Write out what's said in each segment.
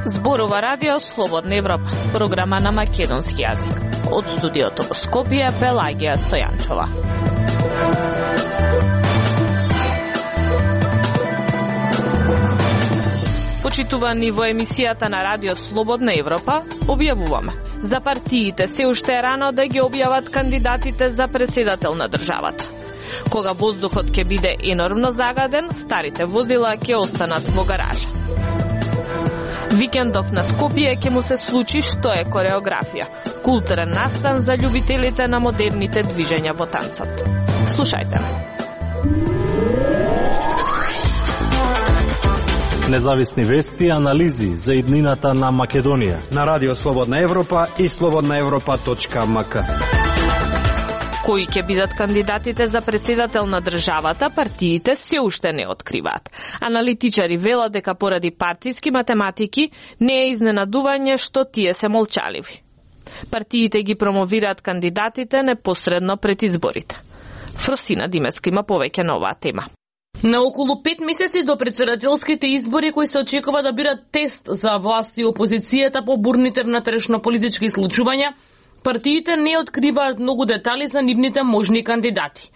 Зборува Радио Слободна Европа, програма на македонски јазик. Од студиото во Скопје, Пелагија Стојанчова. Почитувани во емисијата на Радио Слободна Европа, објавуваме. За партиите се уште е рано да ги објават кандидатите за преседател на државата. Кога воздухот ќе биде енормно загаден, старите возила ќе останат во гаража. Викендов на Скопје ќе му се случи што е кореографија. Културен настан за љубителите на модерните движења во танцот. Слушајте ме. Независни вести и анализи за иднината на Македонија на Радио Слободна Европа и slobodnaevropa.mk. Кои ќе бидат кандидатите за преседател на државата, партиите се уште не откриваат. Аналитичари велат дека поради партиски математики не е изненадување што тие се молчаливи. Партиите ги промовираат кандидатите непосредно пред изборите. Фросина Димеска има повеќе на оваа тема. На околу 5 месеци до председателските избори кои се очекува да бидат тест за власт и опозицијата по бурните внатрешно-политички случувања, партиите не откриваат многу детали за нивните можни кандидати.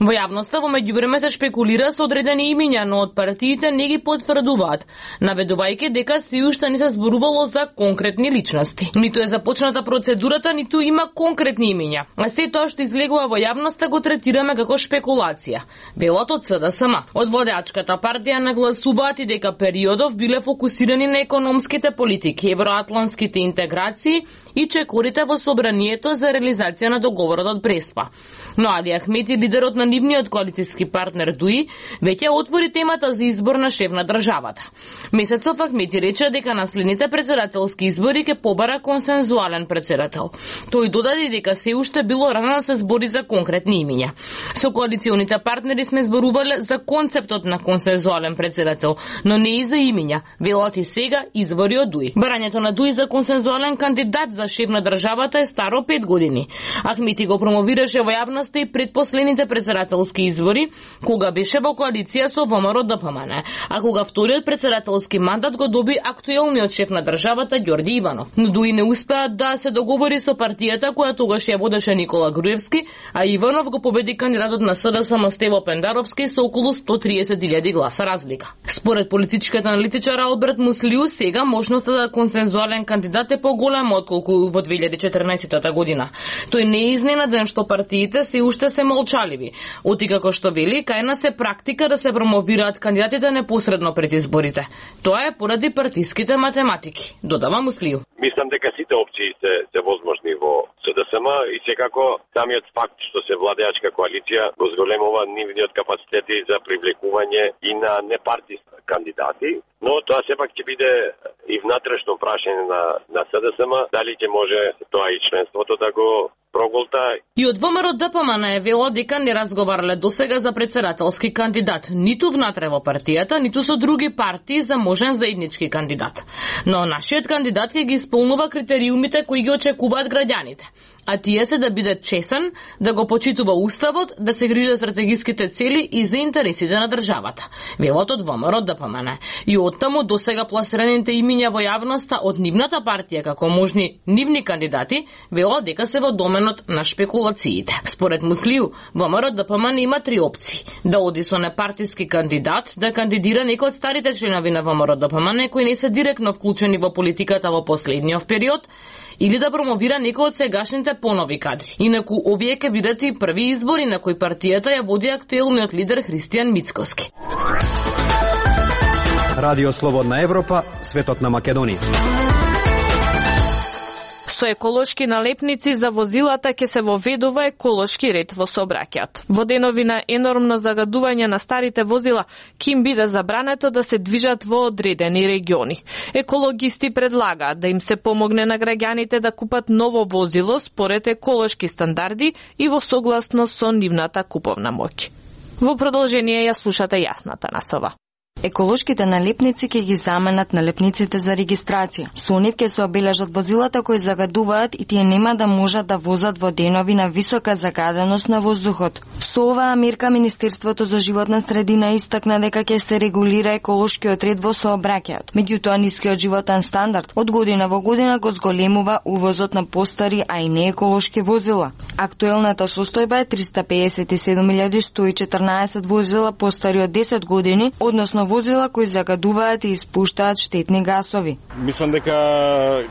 Во јавноста во меѓувреме се шпекулира со одредени имиња, но од партиите не ги потврдуваат, наведувајќи дека се уште не се зборувало за конкретни личности. Ниту е започната процедурата, ниту има конкретни имиња. А се тоа што излегува во јавноста го третираме како шпекулација. Велат од СДСМ. Од водачката партија нагласуваат и дека периодов биле фокусирани на економските политики, евроатлантските интеграции и чекорите во собранието за реализација на договорот од Преспа. Но Ади Ахмети, лидерот на нивниот коалицијски партнер ДУИ, веќе отвори темата за избор на шеф на државата. Месецов Ахмети рече дека на следните председателски избори ќе побара консензуален председател. Тој додаде дека се уште било рано да се збори за конкретни имиња. Со коалиционите партнери сме зборувале за концептот на консензуален председател, но не и за имиња, велат и сега извори од ДУИ. Барањето на ДУИ за консензуален кандидат за шеф на државата е старо 5 години. Ахмети го промовираше во јавност и пред последните председателски избори, кога беше во коалиција со ВМРО ДПМН, а кога вториот председателски мандат го доби актуелниот шеф на државата Ѓорѓе Иванов. Но дуи не успеа да се договори со партијата која тогаш ја водеше Никола Груевски, а Иванов го победи кандидатот на СДСМ Стево Пендаровски со околу 130.000 гласа разлика. Според политичкиот аналитичар Алберт Муслиу, сега можноста за консензуален кандидат е поголема отколку во 2014 година. Тој не е изненаден што партиите се уште се молчаливи, оти како што вели, кај нас е практика да се промовираат кандидатите непосредно пред изборите. Тоа е поради партиските математики, додава Муслиу. Мислам дека сите опции се возможни во СДСМ и секако самиот факт што се владеачка коалиција го зголемува нивниот капацитети за привлекување и на непартиски кандидати, но тоа сепак ќе биде и внатрешно прашање на СДСМ, дали ќе може тоа и членството да го проголта. И од ВМРО ДПМН е вело дека не разговарале досега за председателски кандидат, ниту внатре во партијата, ниту со други партии за можен заеднички кандидат. Но нашиот кандидат ќе ги исполнува критериумите кои ги очекуваат граѓаните. А тие се да биде чесен, да го почитува уставот, да се грижи за стратегиските цели и за интересите на државата. Велот од ВМРО ДПМН. И оттаму досега пласираните имиња во јавноста од нивната партија како можни нивни кандидати, велот дека се во доменот на шпекулациите. Според Муслиу, ВМРО ДПМН има 3 опции: да оди со непартиски кандидат, да кандидира некој од старите членови на ВМРО ДПМН кои не се директно вклучени во политиката во последниот период, или да промовира некој од сегашните понови кадри. Инаку овие ќе бидат и први избори на кои партијата ја води актуелниот лидер Христијан Мицкоски. Радио Слободна Европа, светот на Македонија. Со еколошки налепници за возилата ќе се воведува еколошки ред во сообраќајот. Во денови на енормно загадување на старите возила, ќе им биде забрането да се движат во одредени региони. Екологисти предлагаат да им се помогне на граѓаните да купат ново возило според еколошки стандарди и во согласност со нивната куповна моќ. Во продолжение ја слушате Јасната Насова. Еколошките налепници ќе ги заменат налепниците за регистрација. Со нив ќе се обележат возилата кои загадуваат и тие нема да можат да возат во денови на висока загаденост на воздухот. Со оваа мерка Министерството за животна средина истакна дека ќе се регулира еколошкиот ред во сообраќајот. Меѓутоа нискиот животен стандард од година во година го зголемува увозот на постари, а и нееколошки возила. Актуелната состојба е 357.114 возила постари од 10 години, односно возила кои загадуваат и испуштаат штетни гасови. Мислам дека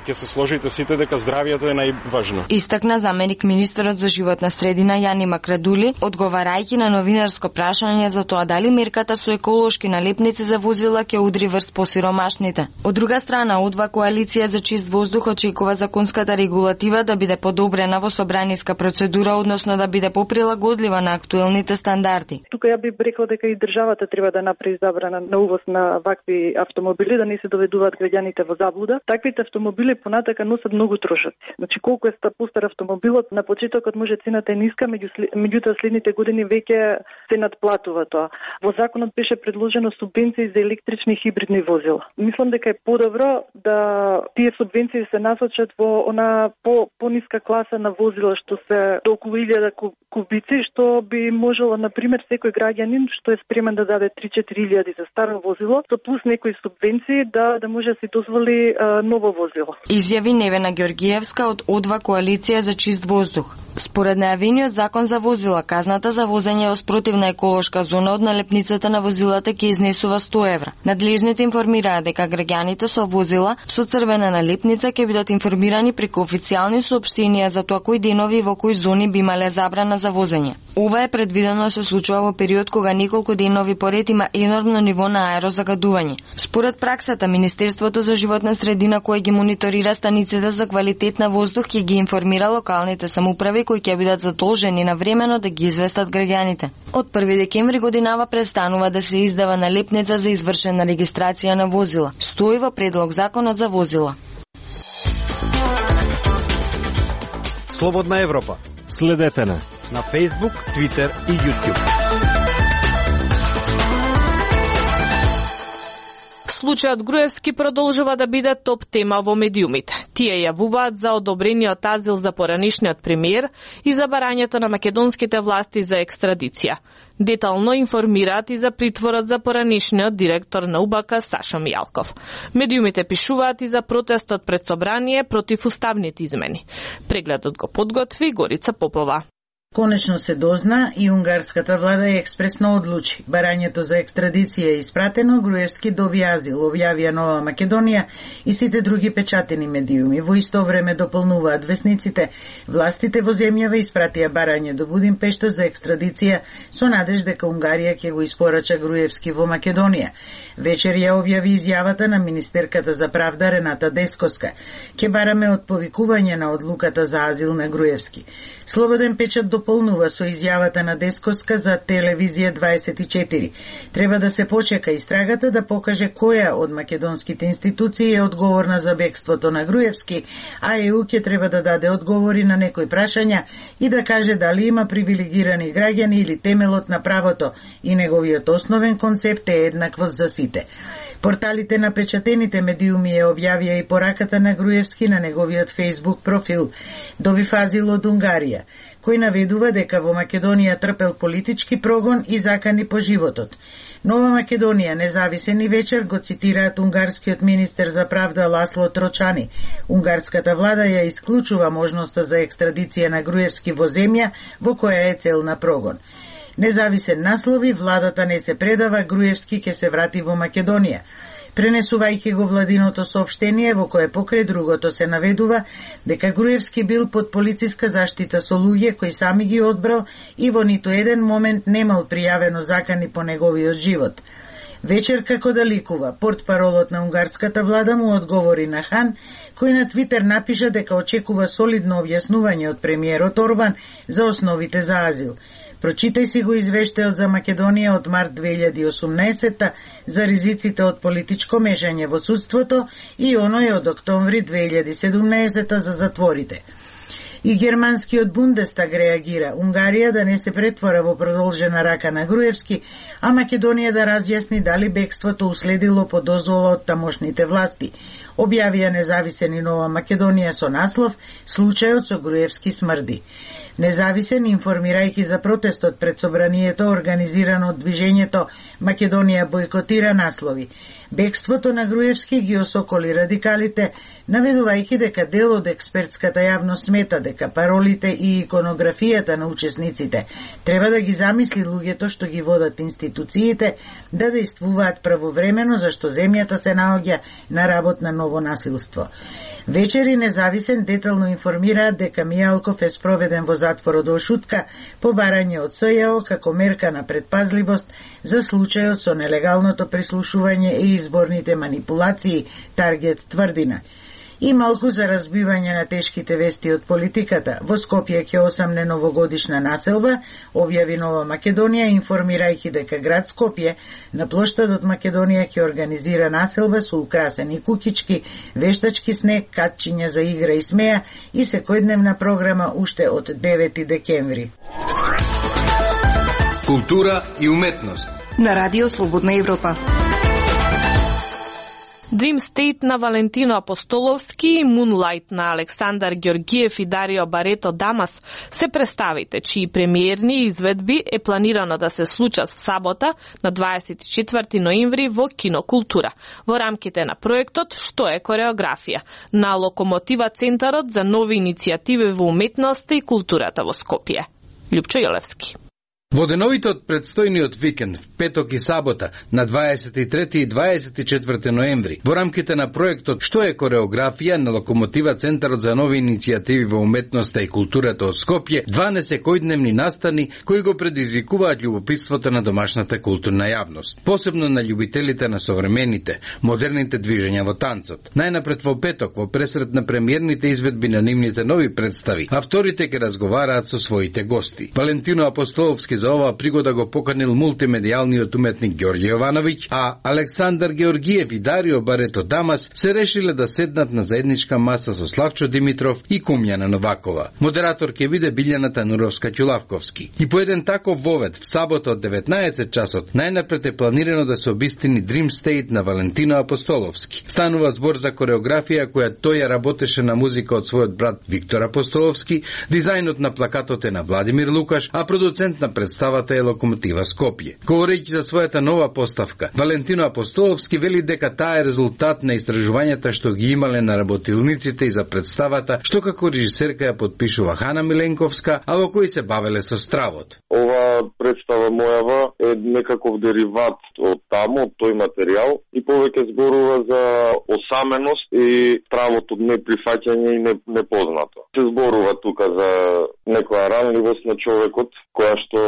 ќе се сложите сите дека здравието е најважно. Истакна заменик министерот за животна средина Јани Макрадули, одговарајќи на новинарско прашање за тоа дали мерката со еколошки налепници за возила ќе удри врз посиромашните. Од друга страна, ОДВА коалиција за чист воздух очекува законската регулатива да биде подобрена во собраниска процедура, односно да биде поприлагодлива на актуелните стандарди. Тука ја би рекла дека и државата треба да направи забрана на увоз на вакви автомобили, да не се доведуваат граѓаните во заблуда. Таквите автомобили понатака носат многу трошоци. Значи колку е постар автомобилот, на почетокот може цената е ниска, меѓутоа следните години веќе се надплатува тоа. Во законот беше предложено субвенции за електрични хибридни возила. Мислам дека е подобро да тие субвенции се насочат во она по-ниска класа на возила што се до околу 1000 кубици, што би можело, например, секој граѓанин што е спремен да даде 3-4 за старо возило, со плюс некои субвенции да може да си дозволи ново возило. Изјави Невена Ѓоргиевска од ОДВА коалиција за чист воздух. Според најавениот закон за возила, казната за возење во спротивна еколошка зона од налепницата на возилата ќе изнесува 100 евра. Надлежните информираат дека граѓаните со возила со црвена налепница ќе бидат информирани преку официјални соопштенија за тоа кои денови и во кои зони би имале забрана за возење. Ова е предвидено да се случува во период кога неколку денови поред има енормно ниво на аерозагадување. Според праксата, Министерството за животна средина кое ги мониторира станиците за квалитет на воздух ќе ги информира локалните самоуправи кои ќе бидат задолжени навремено да ги известат граѓаните. Од 1 декември годинава престанува да се издава налепница за извршена регистрација на возила. Стои во предлог законот за возила. Слободна Европа. Следете на Facebook, Twitter и YouTube. Случајот Груевски продолжува да биде топ тема во медиумите. Тие јавуваат за одобрениот азил за поранишниот премиер и за барањето на македонските власти за екстрадиција. Детално информираат и за притворот за поранишниот директор на УБК Сашо Мијалков. Медиумите пишуваат и за протестот пред собрание против уставните измени. Прегледот го подготви Горица Попова. Конечно се дозна и унгарската влада експресно одлучи. Барањето за екстрадиција е испратено, Груевски доби азил, објавија Нова Македонија и сите други печатени медиуми. Во исто време дополнуваат весниците. Властите во земјава испратија барање до Будимпешта за екстрадиција со надеж дека Унгарија ќе го испорача Груевски во Македонија. Вечер ја објави изјавата на министерката за правда Рената Дескоска. Ке бараме од повикување на одлуката за азил на Груевски. Слободен печат дополнува со изјавата на Дескоска за телевизија 24. Треба да се почека истрагата да покаже која од македонските институции е одговорна за бегството на Груевски, а ЕУ ќе треба да даде одговори на некои прашања и да каже дали има привилегирани граѓани или темелот на правото и неговиот основен концепт е еднаквост за сите. Порталите на печатените медиуми ја објавија и пораката на Груевски на неговиот Facebook профил. Добив азил од Унгарија, кој наведува дека во Македонија трпел политички прогон и закани по животот. Нова Македонија, независен и вечер, го цитираат унгарскиот министер за правда Ласло Трочани. Унгарската влада ја исклучува можноста за екстрадиција на Груевски во земја во која е цел на прогон. Независен наслови, владата не се предава, Груевски ќе се врати во Македонија. Пренесувајќи го владиното соопштение во кое покрај другото се наведува дека Груевски бил под полициска заштита со луѓе кои сами ги одбрал и во ниту еден момент немал пријавено закани по неговиот живот. Вечер како да ликува, портпаролот на унгарската влада му одговори на Хан, кој на Твитер напиша дека очекува солидно објаснување од премиерот Орбан за основите за азил. Прочитај си го извештајот за Македонија од март 2018 за ризиците од политичко мешање во судството и оној од октомври 2017 за затворите. И германскиот Бундестаг реагира Унгарија да не се претвора во продолжена рака на Груевски, а Македонија да разјасни дали бегството уследило по дозвола од тамошните власти. Објавија Независен и Нова Македонија со наслов "Случајот со Груевски смрди". Независен, информирајќи за протестот пред собранието организирано од движењето Македонија бойкотира, наслови: "Бегството на Груевски ги осоколи радикалите", наведувајќи дека дел од експертската јавност смета дека паролите и иконографијата на учесниците треба да ги замисли луѓето што ги водат институциите да действуваат правовремено, зашто земјата се наоѓа на работ на ново насилство. Вечери Независен детално информираат дека Мијалков е спроведен во затворот во Шутка по барање од СЈО како мерка на предпазливост за случајот со нелегалното прислушување и изборните манипулации, Таргет тврдина. И малку за разбивање на тешките вести од политиката. Во Скопје ќе осамне новогодишна населба, објави Нова Македонија, информирајќи дека град Скопје на плоштадот Македонија ќе организира населба со украсени кукички, вештачки снег, катчиња за игра и смеја и секојдневна програма уште од 9 декември. Култура и уметност на Радио Слободна Европа. Dream State на Валентино Апостоловски и Moonlight на Александар Ѓорѓиев и Дарио Барето Дамас се представите, чии премиерни изведби е планирано да се случат в сабота на 24 ноември во Кино Култура, во рамките на проектот "Што е кореографија" на Локомотива Центарот за нови иницијативи во уметноста и културата во Скопје. Љупчо Јолевски. Во деновите од предстојниот викенд, в петок и сабота, на 23 и 24 ноември, во рамките на проектот "Што е кореографија" на Локомотива Центарот за нови иницијативи во уметноста и културата од Скопје, 12 секојдневни настани кои го предизвикуваат љубопитството на домашната културна јавност, посебно на љубителите на современите, модерните движења во танцот. Најнапред во петок, во пресрет на премиерните изведби на нивните нови представи, авторите ќе разговараат со своите гости. Валентино Апостоловски за оваа пригода го поканил мултимедијалниот уметник Ѓорѓе Јовановиќ, а Александар Ѓорѓиев и Дарио Барето Дамас се решиле да седнат на заедничка маса со Славчо Димитров и Кумјана Новакова. Модератор ќе биде Билјана Тануровска-Ќулавковски. И по еден таков вовед в сабота од 19 часот најнапред е планирано да се обистини Dream State на Валентино Апостоловски. Станува збор за кореографија која тој ја работеше на музика од својот брат Виктор Апостоловски, дизајнот на плакатот е на Владимир Лукаш, а продуцент на представата е Локомотива Скопје. Говорејќи за својата нова поставка, Валентино Апостоловски вели дека таа е резултат на истражувањата што ги имале на работилниците и за представата, што како режисерка ја подпишува Хана Миленковска, а во кои се бавеле со стравот. Ова представа мојава е некаков дериват од таму, од тој материјал и повеќе зборува за осаменост и правото од неприфаќање и непознато. Се зборува тука за некоја ранливост на човекот, која што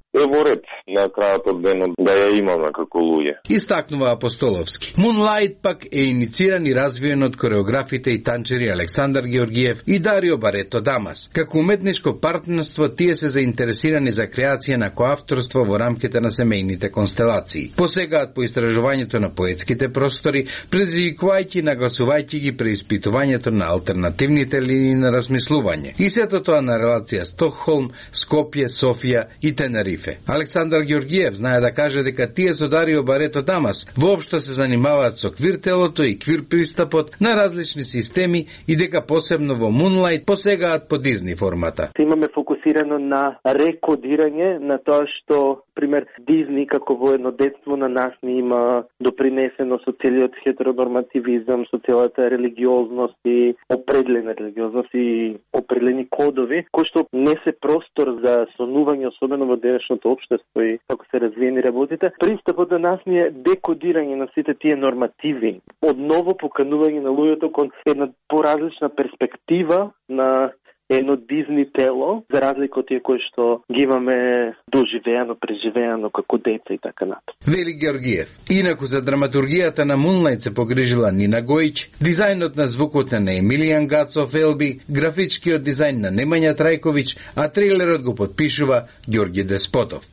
е во ред на крајот од денот да ја имаме како луѓе. Истакнува Апостоловски. Moonlight пак е иницииран и развиен од кореографите и танчери Александар Ѓорѓиев и Дарио Барето Дамас. Како уметничко партнерство тие се заинтересирани за креација на коавторство во рамките на семејните констелации. Посегаат по истражувањето на поетските простори, предизвикувајќи и нагласувајќи ги преиспитувањето на алтернативните линии на размислување. И сето тоа на релација Стокхолм, Скопје, Софија и Тенерифе. Александар Ѓорѓиев знае да каже дека тие со Дарио Барето Дамас воопшто се занимаваат со квир-телото и квир-пристапот на различни системи и дека посебно во Moonlight посегаат по Дизни формата. Имаме фокусирано на рекодирање на тоа што, пример, Дизни како во едно детство на нас ни има допринесено со целиот хетеронормативизам, со целата религиозност и определени кодови, кои што не се простор за сонување, особено во денешното општество и како се развиени работите. Пристапот на нас ни е декодирање на сите тие нормативи, одново поканување на луѓето кон една поразлична перспектива на едно Дизни тело, за разлика од тие кои што ги имаме доживеано, преживеано како деца и така натаму. Вели Ѓорѓиев. Инаку за драматургијата на Moonlight се погрижила Нина Гојич, дизајнот на звукот на Емилијан Гацов Елби, графичкиот дизајн на Немања Трајковиќ, а трейлерот го подпишува Ѓорѓе Деспотов.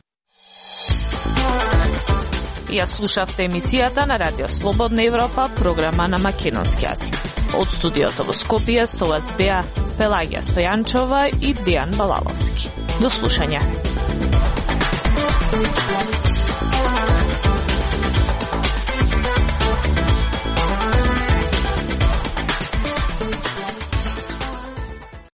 Ја слушавте емисијата на Радио Слободна Европа, програма на македонски јазик. Од студиото во Скопје со вас беа Пелагија Стојанчова и Дејан Балаловски. До слушање.